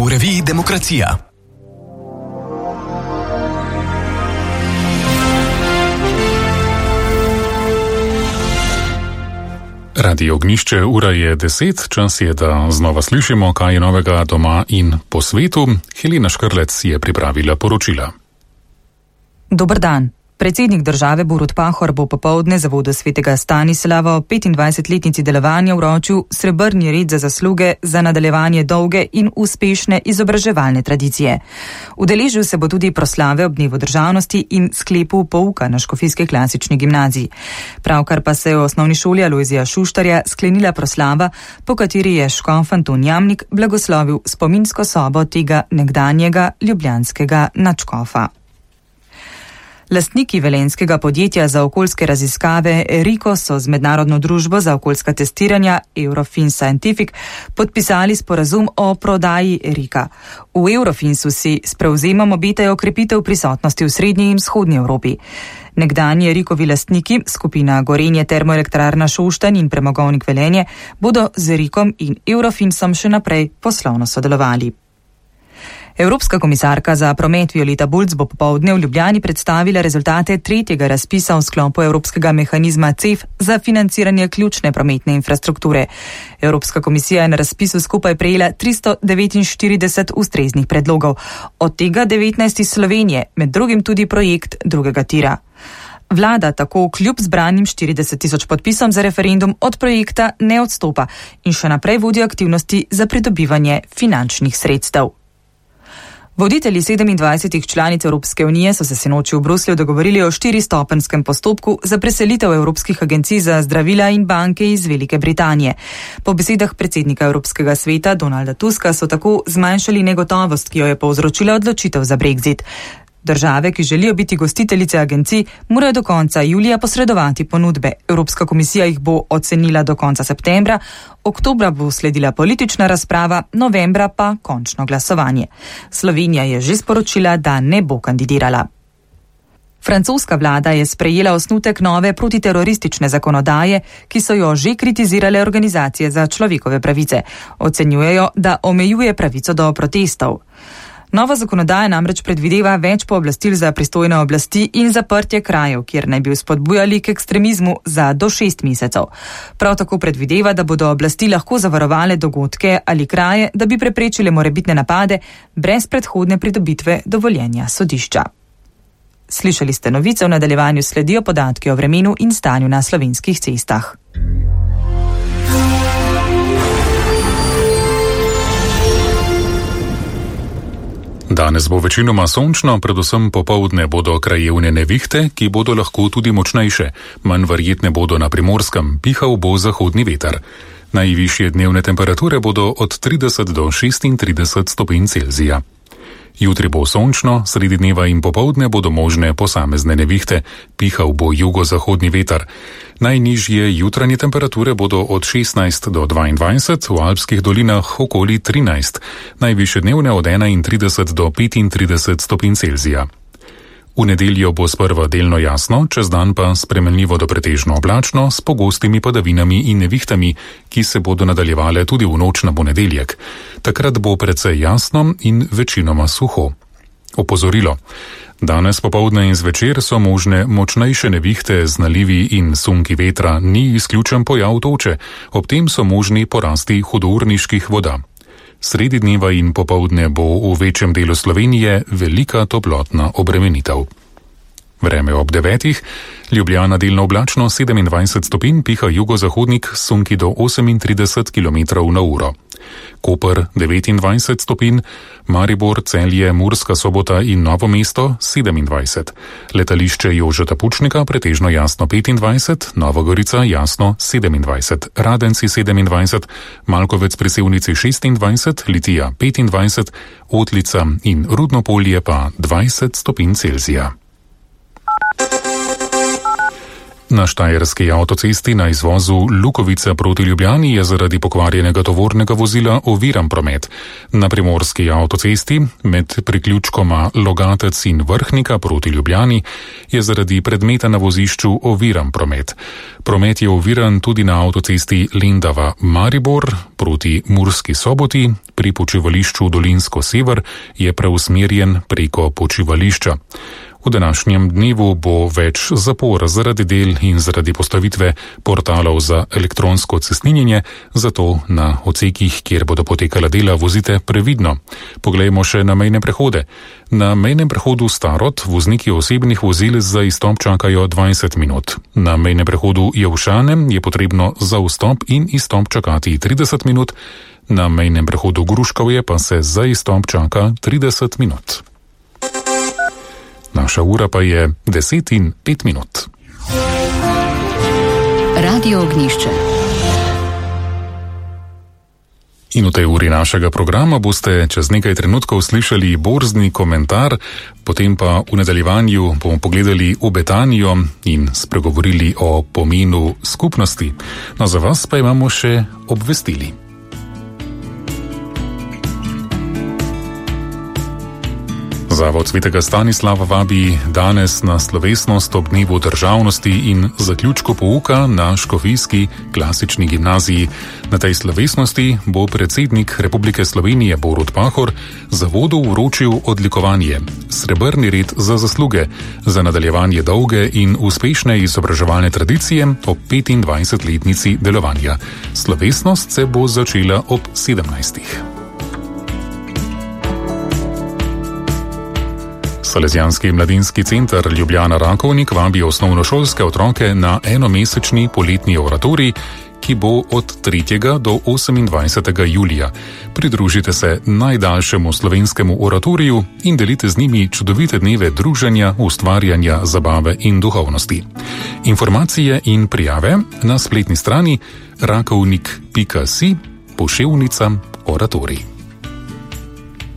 V reviji Demokracija. Radio Ognjišče, ura je 10, čas je, da znova slišimo, kaj je novega doma in po svetu. Helena Škrlec je pripravila poročila. Dober dan. Predsednik države Borut Pahor bo popoldne zavodu svetega Stanislava o 25-letnici delovanja vročil srebrni red za zasluge za nadaljevanje dolge in uspešne izobraževalne tradicije. Udeležil se bo tudi proslave ob dnevu državnosti in sklepu pouka na Škofijski klasični gimnaziji. Pravkar pa se je v osnovni šoli Alojzija Šuštarja sklenila proslava, po kateri je škof Anton Jamnik blagoslovil spominsko sobo tega nekdanjega ljubljanskega nadškofa. Lastniki velenjskega podjetja za okoljske raziskave Eriko so z mednarodno družbo za okoljska testiranja Eurofins Scientific podpisali sporazum o prodaji Erika. V Eurofinsu si s prevzemom obetajo okrepitev prisotnosti v srednji in vzhodnji Evropi. Nekdanji Erikovi lastniki, skupina Gorenje Termoelektrarna Šoštanj in Premogovnik Velenje, bodo z Erikom in Eurofinsom še naprej poslovno sodelovali. Evropska komisarka za promet Violeta Bulc bo popoldne v Ljubljani predstavila rezultate tretjega razpisa v sklopu Evropskega mehanizma CEF za financiranje ključne prometne infrastrukture. Evropska komisija je na razpisu skupaj prejela 349 ustreznih predlogov, od tega 19 iz Slovenije, med drugim tudi projekt drugega tira. Vlada tako kljub zbranim 40.000 podpisom za referendum od projekta ne odstopa in še naprej vodi aktivnosti za pridobivanje finančnih sredstev. Voditelji 27 članic Evropske unije so se sinoči v Bruslju dogovorili o 4-stopenskem postopku za preselitev evropskih agencij za zdravila in banke iz Velike Britanije. Po besedah predsednika Evropskega sveta Donalda Tuska so tako zmanjšali negotovost, ki jo je povzročila odločitev za Brexit. Države, ki želijo biti gostiteljice agencij, morajo do konca julija posredovati ponudbe. Evropska komisija jih bo ocenila do konca septembra, oktobra bo sledila politična razprava, novembra pa končno glasovanje. Slovenija je že sporočila, da ne bo kandidirala. Francoska vlada je sprejela osnutek nove protiteroristične zakonodaje, ki so jo že kritizirale organizacije za človekove pravice. Ocenjujejo, da omejuje pravico do protestov. Nova zakonodaja namreč predvideva več pooblastil za pristojne oblasti in zaprtje krajev, kjer naj bi spodbujali k ekstremizmu za do 6 mesecev. Prav tako predvideva, da bodo oblasti lahko zavarovale dogodke ali kraje, da bi preprečile morebitne napade brez predhodne pridobitve dovoljenja sodišča. Slišali ste novice, v nadaljevanju sledijo podatki o vremenu in stanju na slovenskih cestah. Danes bo večinoma sončno, predvsem popoldne bodo krajevne nevihte, ki bodo lahko tudi močnejše. Manj verjetne bodo na Primorskem, pihal bo zahodni veter. Najvišje dnevne temperature bodo od 30 do 36 stopinj Celzija. Jutri bo sončno, sredi dneva in popoldne bodo možne posamezne nevihte, pihal bo jugozahodni veter. Najnižje jutranje temperature bodo od 16 do 22, v alpskih dolinah okoli 13, najvišje dnevne od 31 do 35 stopinj Celzija. V nedeljo bo sprva delno jasno, čez dan pa spremenljivo do pretežno oblačno s pogostimi padavinami in nevihtami, ki se bodo nadaljevale tudi v noč na ponedeljek. Takrat bo precej jasno in večinoma suho. Opozorilo. Danes popoldne in zvečer so možne močnejše nevihte z nalivi in sunki vetra, ni izključen pojav toče, ob tem so možni porasti hudourniških voda. Sredi dneva in popoldne bo v večjem delu Slovenije velika toplotna obremenitev. Vreme ob 9. Ljubljana delno oblačno 27 stopinj, piha jugozahodnik sunki do 38 km/h. Koper 29 stopinj, Maribor, Celje, Murska Sobota in Novo mesto 27. Letališče Jožeta Pučnika pretežno jasno 25, Nova Gorica jasno 27, Radenci 27, Malkovec pri Sevnici 26, Litija 25, Otlica in Rudno Polje pa 20 stopinj Celzija. Na štajerski avtocesti na izvozu Lukovica proti Ljubljani je zaradi pokvarjenega tovornega vozila oviran promet. Na primorski avtocesti med priključkoma Logatec in Vrhnika proti Ljubljani je zaradi predmeta na vozišču oviran promet. Promet je oviran tudi na avtocesti Lendava-Maribor proti Murski Soboti, pri počivališču Dolinsko-Sever je preusmerjen preko počivališča. V današnjem dnevu bo več zapor zaradi del in zaradi postavitve portalov za elektronsko cestninjenje, zato na odsekih, kjer bodo potekala dela, vozite previdno. Poglejmo še na mejne prehode. Na mejnem prehodu Starod vozniki osebnih vozil za izstop čakajo 20 minut. Na mejnem prehodu Jelšane je potrebno za vstop in izstop čakati 30 minut, na mejnem prehodu Gruškovje pa se za izstop čaka 30 minut. Naša ura pa je 10:05. Radio Ognjišče. In v tej uri našega programa boste čez nekaj trenutkov slišali borzni komentar, potem pa v nadaljevanju bomo pogledali v Betanijo in spregovorili o pomenu skupnosti. No, za vas pa imamo še obvestili. Zavod Svetega Stanislava vabi danes na slovesnost ob dnevu državnosti in zaključku pouka na Škofijski klasični gimnaziji. Na tej slovesnosti bo predsednik Republike Slovenije Borut Pahor zavodu vročil odlikovanje Srebrni red za zasluge za nadaljevanje dolge in uspešne izobraževalne tradicije ob 25-letnici delovanja. Slovesnost se bo začela ob 17. Salesijanski mladinski center Ljubljana Rakovnik vabi osnovnošolske otroke na enomesečni poletni oratorij, ki bo od 3. do 28. julija. Pridružite se najdaljšemu slovenskemu oratoriju in delite z njimi čudovite dneve druženja, ustvarjanja, zabave in duhovnosti. Informacije in prijave na spletni strani rakovnik.si / oratorij.